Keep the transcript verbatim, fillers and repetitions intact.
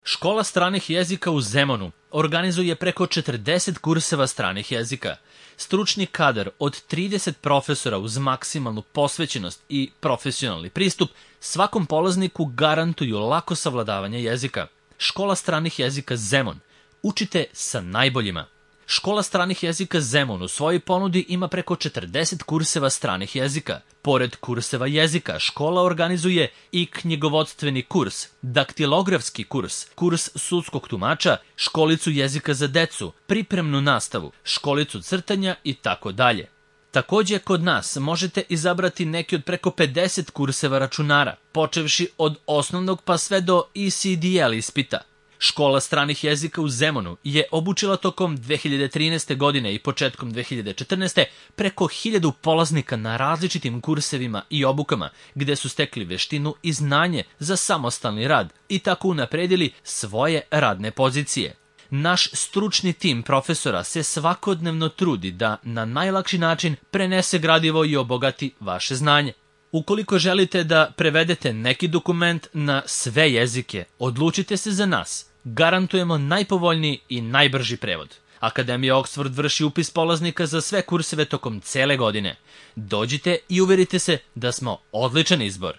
Škola stranih jezika u Zemunu organizuje preko četrdeset kurseva stranih jezika. Stručni kadar od trideset profesora uz maksimalnu posvećenost i profesionalni pristup svakom polazniku garantuju lako savladavanje jezika. Škola stranih jezika Zemun. Učite sa najboljima. Škola stranih jezika Zemun u svojoj ponudi ima preko četrdeset kurseva stranih jezika. Pored kurseva jezika, škola organizuje i knjigovodstveni kurs, daktilografski kurs, kurs sudskog tumača, školicu jezika za decu, pripremnu nastavu, školicu crtanja i tako dalje. Takođe, kod nas možete izabrati neki od preko pedeset kurseva računara, počevši od osnovnog pa sve do E C D L ispita. Škola stranih jezika u Zemunu je obučila tokom dve hiljade trinaeste. godine i početkom dve hiljade četrnaeste. preko hiljadu polaznika na različitim kursevima i obukama, gde su stekli veštinu i znanje za samostalni rad i tako unapredili svoje radne pozicije. Naš stručni tim profesora se svakodnevno trudi da na najlakši način prenese gradivo i obogati vaše znanje. Ukoliko želite da prevedete neki dokument na sve jezike, odlučite se za nas. Garantujemo najpovoljniji i najbrži prevod. Akademija Oxford vrši upis polaznika za sve kurseve tokom cele godine. Dođite i uverite se da smo odličan izbor.